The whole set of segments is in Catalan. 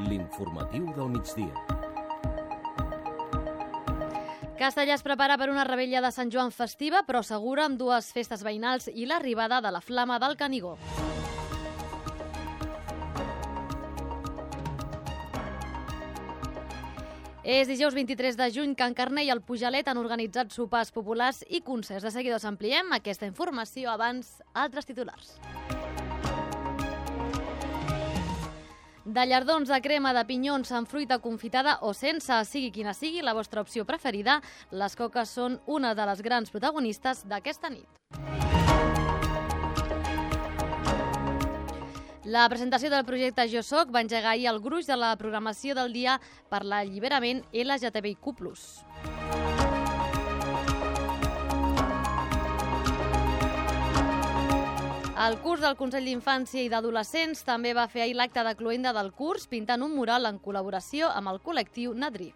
L'informatiu del migdia. Castellà es prepara per una revetlla de Sant Joan festiva, però segura amb dues festes veïnals i l'arribada de la Flama del Canigó. És dijous 23 de juny. Can Carner i el Pujalet han organitzat sopars populars i concerts. De seguida us ampliem aquesta informació. Abans, altres titulars. De llardons, de crema, de pinyons, amb fruita confitada o sense, sigui quina sigui la vostra opció preferida, les coques són una de les grans protagonistes d'aquesta nit. La presentació del projecte Jo Soc va engegar ahir el gruix de la programació del dia per l'alliberament LGTBIQ+. El curs del Consell d'Infància i d'Adolescents també va fer ahir l'acte de cloenda del curs, pintant un mural en col·laboració amb el col·lectiu Nadri.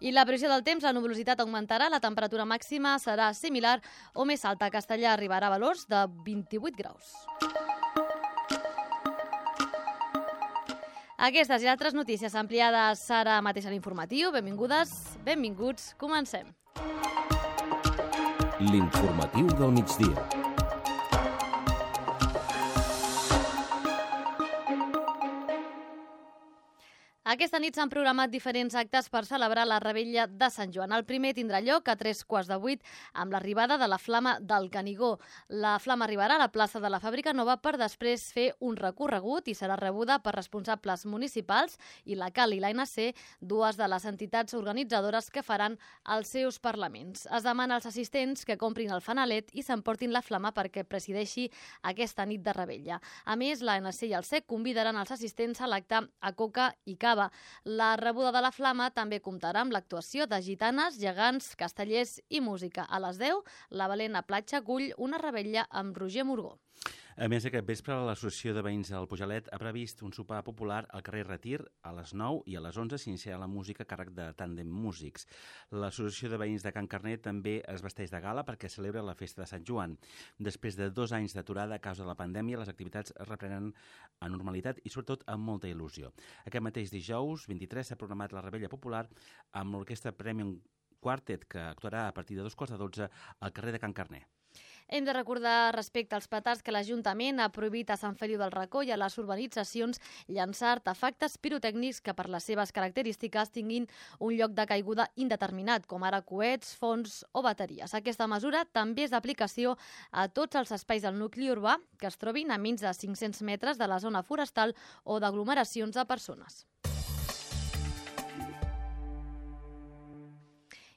I la previsió del temps, la nuvolositat augmentarà, la temperatura màxima serà similar o més alta. A Castellà arribarà a valors de 28 graus. Aquestes i altres notícies ampliades ara mateix a l'informatiu. Benvingudes, benvinguts, comencem. L'informatiu del migdia. Aquesta nit s'han programat diferents actes per celebrar la revetlla de Sant Joan. El primer tindrà lloc a 3:15 amb l'arribada de la Flama del Canigó. La Flama arribarà a la plaça de la Fàbrica Nova per després fer un recorregut i serà rebuda per responsables municipals i la CAL i l'ANC, dues de les entitats organitzadores que faran els seus parlaments. Es demana als assistents que comprin el fanalet i s'emportin la Flama perquè presideixi aquesta nit de revetlla. A més, l'ANC i el SEC convidaran els assistents a l'acte a coca i cava. La rebuda de la Flama també comptarà amb l'actuació de gitanes, gegants, castellers i música. A les 10, la Valent a Platja acull una revetlla amb Roger Morgó. A més, aquest vespre l'Associació de Veïns del Pujalet ha previst un sopar popular al carrer Retir a les 9 i a les 11 s'iniciarà la música a càrrec de Tàndem Músics. L'Associació de Veïns de Can Carner també es vesteix de gala perquè celebra la festa de Sant Joan. Després de 2 anys d'aturada a causa de la pandèmia, les activitats es reprenen a normalitat i sobretot amb molta il·lusió. Aquest mateix dijous 23 s'ha programat la revetlla popular amb l'orquestra Premium Quartet que actuarà a partir de 2:15 al carrer de Can Carner. Hem de recordar respecte als petards que l'Ajuntament ha prohibit a Sant Feliu del Racó i a les urbanitzacions llançar artefactes pirotècnics que per les seves característiques tinguin un lloc de caiguda indeterminat, com ara coets, fons o bateries. Aquesta mesura també és d'aplicació a tots els espais del nucli urbà que es trobin a menys de 500 metres de la zona forestal o d'aglomeracions de persones.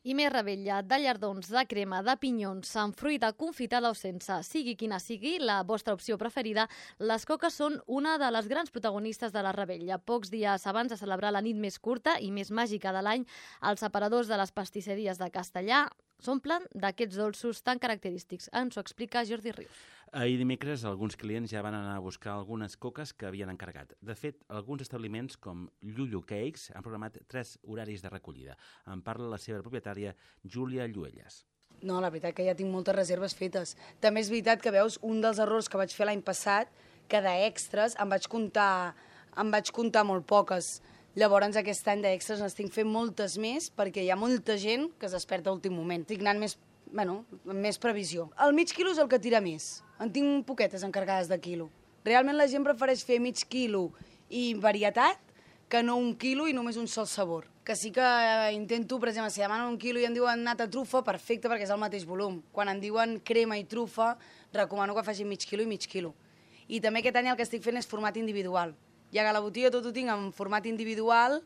I més revetlla, de llardons, de crema, de pinyons, amb fruita confitada o sense, sigui quina sigui la vostra opció preferida, les coques són una de les grans protagonistes de la revetlla. Pocs dies abans de celebrar la nit més curta i més màgica de l'any, els aparadors de les pastisseries de Castellà s'omplen d'aquests dolços tan característics. Ens ho explica Jordi Rius. Ahir dimecres alguns clients ja van anar a buscar algunes coques que havien encarregat. De fet, alguns establiments com Llullo Cakes han programat 3 horaris de recollida. En parla la seva propietària, Júlia Lluelles. No, la veritat que ja tinc moltes reserves fetes. També és veritat que veus un dels errors que vaig fer l'any passat, que d'extres em vaig comptar molt poques. Llavors aquest any d'extres n'estic fent moltes més perquè hi ha molta gent que es desperta a l'últim moment. Estic anant amb més previsió. El mig quilo és el que tira més. En tinc poquetes encarregades de quilo. Realment la gent prefereix fer mig quilo i varietat que no 1 quilo i només un sol sabor. Que sí que intento, per exemple, si demanen 1 quilo i em diuen nata trufa, perfecte, perquè és el mateix volum. Quan em diuen crema i trufa, recomano que facin mig quilo i mig quilo. I també aquest any el que estic fent és format individual. Ja que a la botiga tot ho tinc en format individual,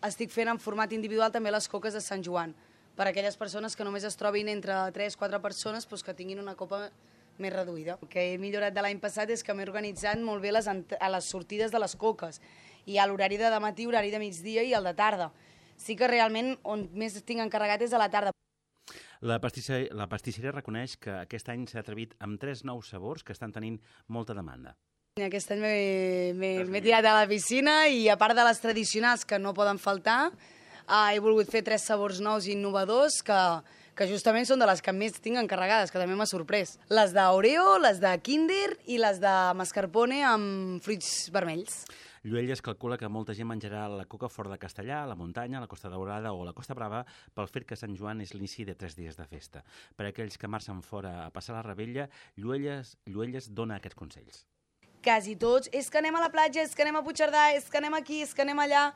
estic fent en format individual també les coques de Sant Joan, per a aquelles persones que només es trobin entre 3-4 persones que tinguin una copa més reduïda. El que he millorat de l'any passat és que m'he organitzat molt bé a les sortides de les coques. Hi ha l'horari de matí, horari de migdia i el de tarda. Sí que realment on més tinc encarregat és a la tarda. La pastisseria reconeix que aquest any s'ha atrevit amb 3 nous sabors que estan tenint molta demanda. Aquest any m'he tirat a la piscina i a part de les tradicionals que no poden faltar, he volgut fer 3 sabors nous i innovadors que que justament són de les que més tinc encarregades, que també m'ha sorprès. Les d'Oreo, les de Kinder i les de mascarpone amb fruits vermells. Lluelles calcula que molta gent menjarà la coca fora de Castellà, a la muntanya, a la Costa Daurada o a la Costa Brava pel fet que Sant Joan és l'inici de 3 dies de festa. Per a aquells que marxen fora a passar la Rebella, Lluelles dona aquests consells. Quasi tots, és que anem a la platja, és que anem a Puigcerdà, és que anem aquí, és que anem allà.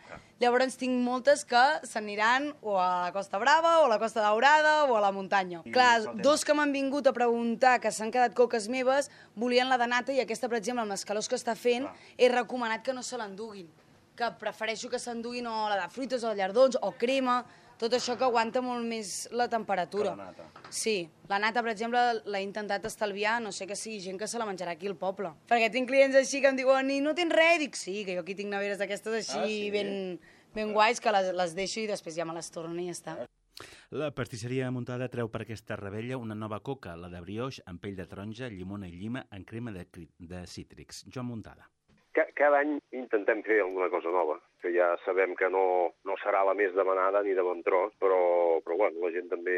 Llavors tinc moltes que s'aniran o a la Costa Brava, o a la Costa Daurada, o a la muntanya. Clar, dos que m'han vingut a preguntar, que s'han quedat coques meves, volien la de nata, i aquesta, per exemple, amb les calors que està fent, he recomanat que no se l'enduguin. Que prefereixo que s'enduguin o la de fruites o llardons o crema, tot això que aguanta molt més la temperatura. Que la nata. Sí, la nata, per exemple, l'he intentat estalviar, no sé que sigui gent que se la menjarà aquí al poble. Perquè tinc clients així que em diuen, i no tens res? Dic, sí, que jo aquí tinc neveres d'aquestes així ben guais, que les deixo i després ja me les torno i ja està. La pastisseria Muntada treu per aquesta Rebella una nova coca, la de brioix amb pell de taronja, llimona i llima en crema de cítrics. Joan Muntada. Cada any intentem fer alguna cosa nova, que ja sabem que no serà la més demanada ni de bon tros, però bueno, la gent també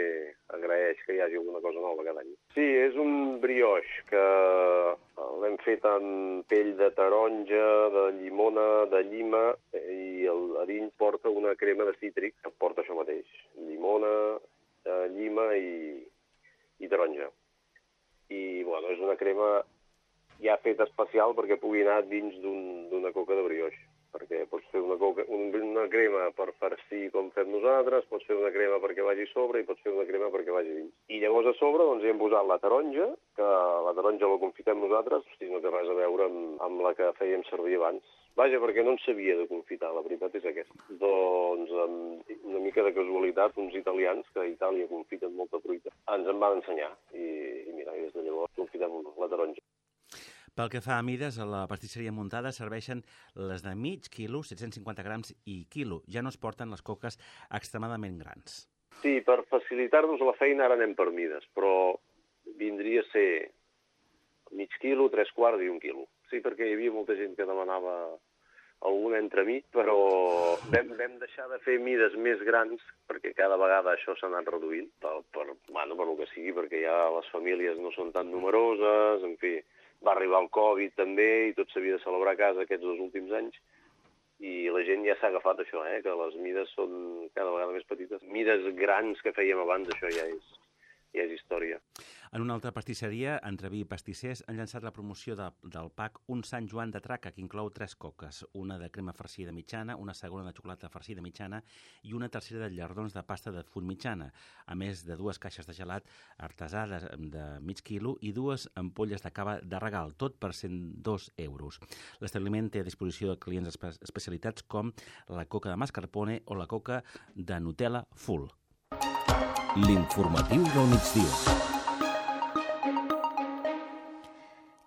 agraeix que hi hagi alguna cosa nova cada any. Sí, és un brioix que l'hem fet amb pell de taronja, de llimona, de llima, i a dins porta una crema de cítric que porta això mateix, llimona, llima i taronja. I bueno, és una crema ja fet especial perquè pugui anar dins d'una coca de brioix. Perquè pots fer una crema per farcir com fem nosaltres, pots fer una crema perquè vagi a sobre i pots fer una crema perquè vagi dins. I llavors a sobre doncs, hi hem posat la taronja, que la taronja la confitem nosaltres, no té res a veure amb la que fèiem servir abans. Vaja, perquè no en sabia de confitar, la veritat és aquesta. Doncs amb una mica de casualitat, uns italians, que a Itàlia confiten molta fruita, ens en van ensenyar. I mira, des de llavors confitem la taronja. Pel que fa a mides, a la pastisseria Muntada serveixen les de mig quilo, 750 grams i quilo. Ja no es porten les coques extremadament grans. Sí, per facilitar-nos la feina ara anem per mides, però vindria a ser mig quilo, 3/4 i 1 quilo. Sí, perquè hi havia molta gent que demanava alguna entremig, però vam deixar de fer mides més grans, perquè cada vegada això s'ha anat reduint, per el que sigui, perquè ja les famílies no són tan numeroses, en fi. Va arribar el Covid també i tot s'havia de celebrar a casa aquests 2 últims anys i la gent ja s'ha agafat això, que les mides són cada vegada més petites. Mides grans que fèiem abans, això ja és història. En una altra pastisseria, Entreví i Pastissers han llançat la promoció del pack Un Sant Joan de Traca, que inclou 3 coques, una de crema farcida mitjana, una segona de xocolata farcida mitjana i una tercera de llardons de pasta de full mitjana, a més de 2 caixes de gelat artesà de mig quilo i 2 ampolles de cava de regal, tot per 102 euros. L'establiment té a disposició de clients especialitats com la coca de mascarpone o la coca de Nutella Full. L'informatiu del migdia.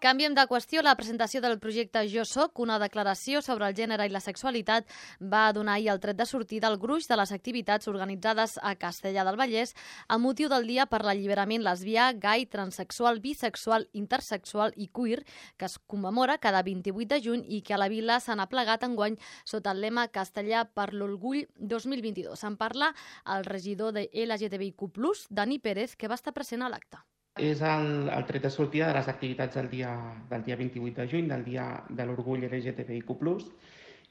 Canviem de qüestió. La presentació del projecte Jo Soc, una declaració sobre el gènere i la sexualitat, va donar ahir el tret de sortida al gruix de les activitats organitzades a Castellar del Vallès amb motiu del Dia per l'Alliberament lesbià, gai, transexual, bisexual, intersexual i queer, que es commemora cada 28 de juny i que a la vila s'han aplegat enguany sota el lema Castellar per l'Orgull 2022. En parla el regidor de LGTBIQ+, Dani Pérez, que va estar present a l'acte. És el tret de sortida de les activitats del dia 28 de juny, del dia de l'orgull LGTBIQ+,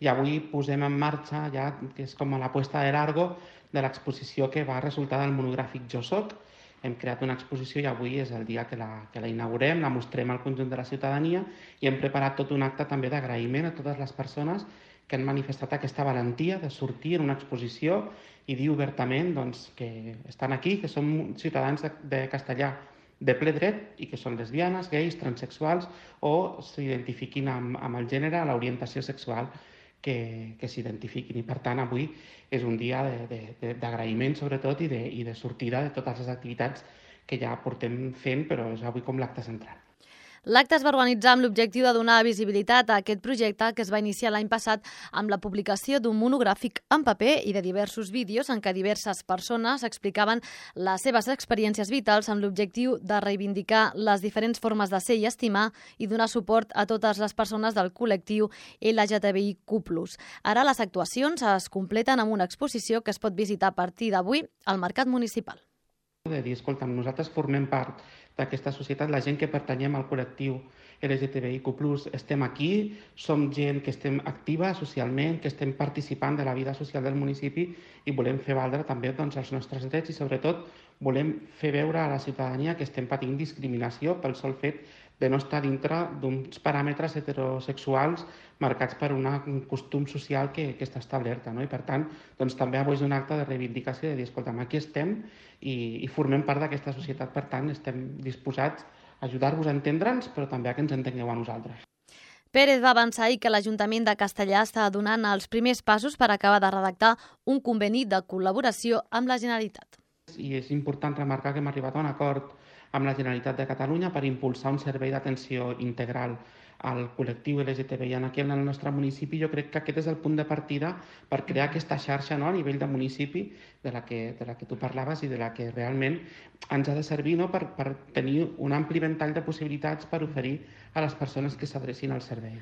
i avui posem en marxa ja, que és com la puesta de largo de l'exposició que va resultar del monogràfic Jo Soc. Hem creat una exposició i avui és el dia que la inaugurem, la mostrem al conjunt de la ciutadania i hem preparat tot un acte també d'agraïment a totes les persones que han manifestat aquesta valentia de sortir en una exposició i dir obertament doncs, que estan aquí, que som ciutadans de Castellar de ple dret i que són lesbianes, gais, transexuals o s'identifiquin amb el gènere, l'orientació sexual que s'identifiquin. I per tant avui és un dia d'agraïment sobretot i de sortida de totes les activitats que ja portem fent, però és avui com l'acte central. L'acte es va organitzar amb l'objectiu de donar visibilitat a aquest projecte que es va iniciar l'any passat amb la publicació d'un monogràfic en paper i de diversos vídeos en què diverses persones explicaven les seves experiències vitals amb l'objectiu de reivindicar les diferents formes de ser i estimar i donar suport a totes les persones del col·lectiu LGTBIQ+. Ara les actuacions es completen amb una exposició que es pot visitar a partir d'avui al Mercat Municipal. de dir, escolta, nosaltres formem part d'aquesta societat, la gent que pertanyem al col·lectiu LGTBIQ+, estem aquí, som gent que estem activa socialment, que estem participant de la vida social del municipi i volem fer valdre també doncs, els nostres drets i sobretot volem fer veure a la ciutadania que estem patint discriminació pel sol fet de no estar dintre d'uns paràmetres heterosexuals marcats per un costum social que està establerta. No? I per tant, doncs, també avui és un acte de reivindicació de dir, escolta'm, aquí estem i formem part d'aquesta societat, per tant, estem disposats a ajudar-vos a entendre'ns, però també a que ens entengueu a nosaltres. Pérez va avançar ahir que l'Ajuntament de Castellar està donant els primers passos per acabar de redactar un conveni de col·laboració amb la Generalitat. I és important remarcar que hem arribat a un acord amb la Generalitat de Catalunya per impulsar un servei d'atenció integral al col·lectiu LGTBI aquí en el nostre municipi. Jo crec que aquest és el punt de partida per crear aquesta xarxa, no?, a nivell de municipi de la que tu parlaves i de la que realment ens ha de servir, no?, per tenir un ampli ventall de possibilitats per oferir a les persones que s'adrecin al servei.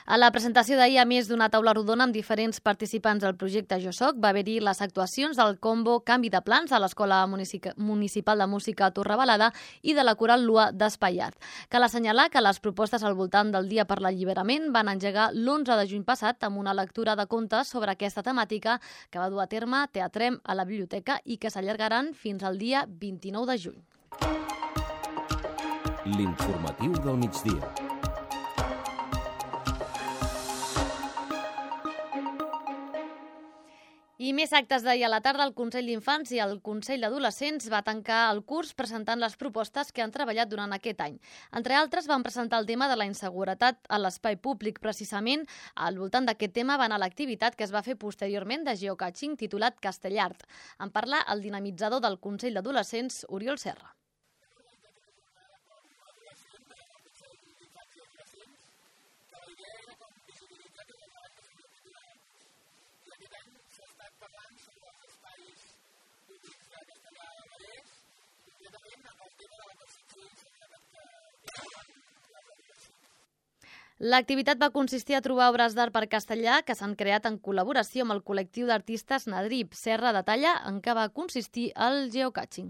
A la presentació d'ahir, a més d'una taula rodona amb diferents participants del projecte Jo Soc, va haver-hi les actuacions del combo Canvi de Plans de l'Escola Municipal de Música Torrebalada i de la Coral Lua d'Espaiat. Cal assenyalar que les propostes al voltant del Dia per l'Alliberament van engegar l'11 de juny passat amb una lectura de contes sobre aquesta temàtica que va dur a terme Teatrem a la biblioteca i que s'allargaran fins al dia 29 de juny. L'informatiu del migdia. I més actes d'ahir a la tarda, el Consell d'Infants i el Consell d'Adolescents va tancar el curs presentant les propostes que han treballat durant aquest any. Entre altres, van presentar el tema de la inseguretat a l'espai públic. Precisament, al voltant d'aquest tema va anar l'activitat que es va fer posteriorment de geocaching titulat Castellart. En parla el dinamitzador del Consell d'Adolescents, Oriol Serra. L'activitat va consistir a trobar obres d'art per castellà que s'han creat en col·laboració amb el col·lectiu d'artistes Nadrip. Serra detalla en què va consistir el geocaching.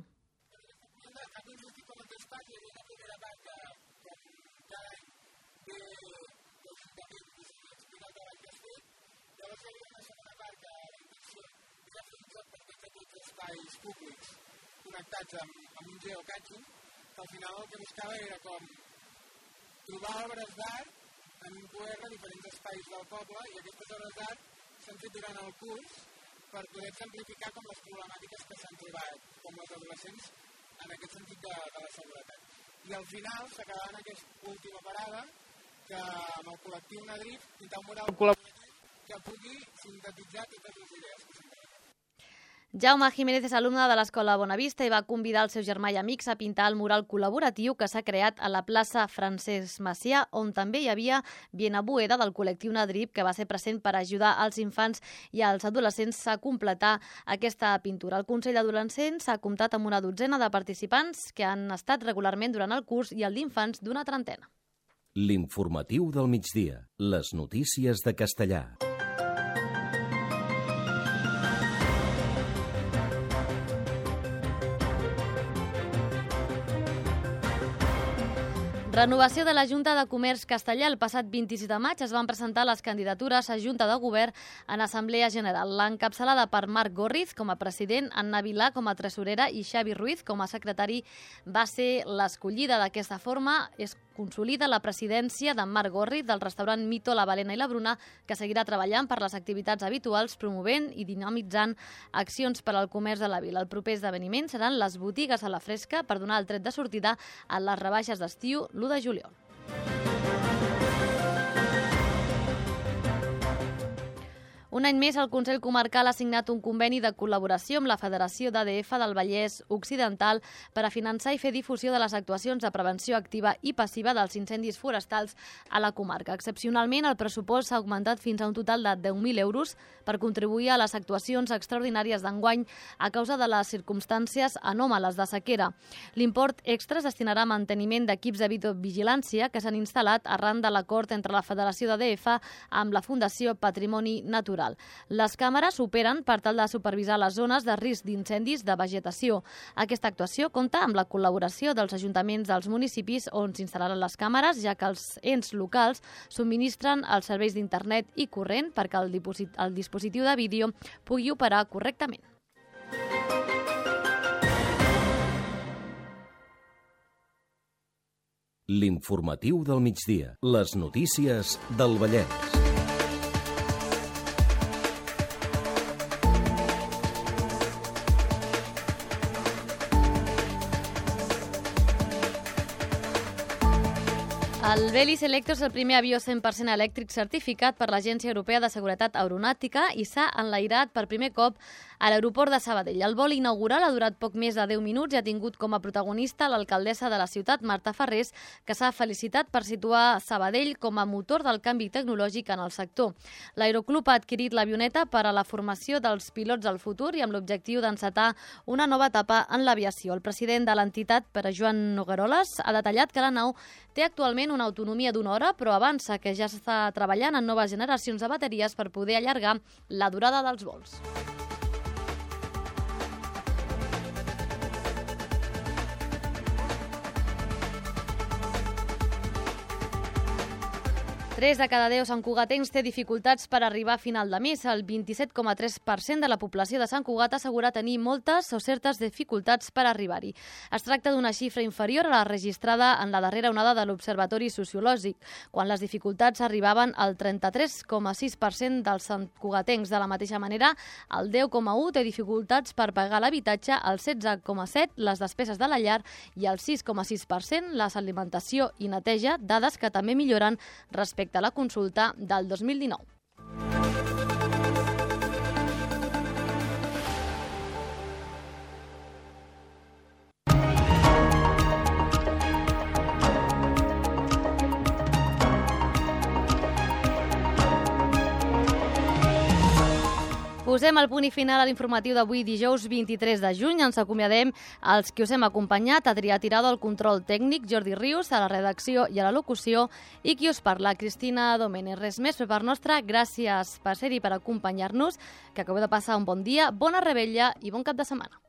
Espais públics connectats amb un geocaching, que al final el que buscava era com trobar obres d'art en un QR a diferents espais del poble, i aquestes obres d'art s'han fet durant el curs per poder exemplificar com les problemàtiques que s'han trobat com les adolescents en aquest sentit de la seguretat. I al final s'acabava en aquesta última parada que amb el col·lectiu Nadrip pintar un mural col·laboratiu que pugui sintetitzar totes les idees que s'han trobat. Jaume Jiménez és alumne de l'Escola Bonavista i va convidar el seu germà i amics a pintar el mural col·laboratiu que s'ha creat a la plaça Francesc Macià, on també hi havia Viena Bueda del col·lectiu Nadrip, que va ser present per ajudar als infants i als adolescents a completar aquesta pintura. El Consell d'Adolescents ha comptat amb una dotzena de participants que han estat regularment durant el curs i el d'infants d'una trentena. L'informatiu del migdia. Les notícies de Castellar. Renovació de la Junta de Comerç Castellar. El passat 26 de maig es van presentar les candidatures a Junta de Govern en Assemblea General. L'encapçalada per Marc Gorriz com a president, Anna Vilà com a tresorera i Xavi Ruiz com a secretari va ser l'escollida. D'aquesta forma es consolida la presidència de Marc Gorriz del restaurant Mito, la Balena i la Bruna, que seguirà treballant per les activitats habituals, promovent i dinamitzant accions per al comerç de la vila. El proper esdeveniment seran les botigues a la fresca per donar el tret de sortida a les rebaixes d'estiu l'1 de juliol. Un any més, el Consell Comarcal ha signat un conveni de col·laboració amb la Federació d'ADF del Vallès Occidental per a finançar i fer difusió de les actuacions de prevenció activa i passiva dels incendis forestals a la comarca. Excepcionalment, el pressupost s'ha augmentat fins a un total de 10.000 euros per contribuir a les actuacions extraordinàries d'enguany a causa de les circumstàncies anòmales de sequera. L'import extra es destinarà a manteniment d'equips de videovigilància que s'han instal·lat arran de l'acord entre la Federació d'ADF amb la Fundació Patrimoni Natural. local. Les càmeres operen per tal de supervisar les zones de risc d'incendis de vegetació. Aquesta actuació compta amb la col·laboració dels ajuntaments dels municipis on s'instal·laran les càmeres, ja que els ens locals subministren els serveis d'internet i corrent perquè el dispositiu de vídeo pugui operar correctament. L'informatiu del migdia. Les notícies del Vallès. El Veli Selector és el primer avió 100% elèctric certificat per l'Agència Europea de Seguretat Aeronàutica i s'ha enlairat per primer cop a l'aeroport de Sabadell. El vol inaugural ha durat poc més de 10 minuts i ha tingut com a protagonista l'alcaldessa de la ciutat, Marta Farrés, que s'ha felicitat per situar Sabadell com a motor del canvi tecnològic en el sector. L'Aeroclub ha adquirit l'avioneta per a la formació dels pilots del futur i amb l'objectiu d'encetar una nova etapa en l'aviació. El president de l'entitat, Pere Joan Nogueroles, ha detallat que la nau té actualment una autonomia d'1 hora, però avança que ja s'està treballant en noves generacions de bateries per poder allargar la durada dels vols. Tres de cada 10 santcugatencs té dificultats per arribar a final de mes. El 27,3% de la població de Sant Cugat assegura tenir moltes o certes dificultats per arribar-hi. Es tracta d'una xifra inferior a la registrada en la darrera onada de l'Observatori Sociològic, quan les dificultats arribaven al 33,6% dels santcugatencs. De la mateixa manera, el 10,1% té dificultats per pagar l'habitatge, el 16,7% les despeses de la llar i el 6,6% l'alimentació i neteja, dades que també milloren respecte a la consulta del 2019. Posem el punt i final a l'informatiu d'avui, dijous 23 de juny. Ens acomiadem els que us hem acompanyat, Adrià Tirado al control tècnic, Jordi Rius a la redacció i a la locució i qui us parla, Cristina Domènech. Res més per part nostra, gràcies per ser-hi, per acompanyar-nos, que acabeu de passar un bon dia, bona revetlla i bon cap de setmana.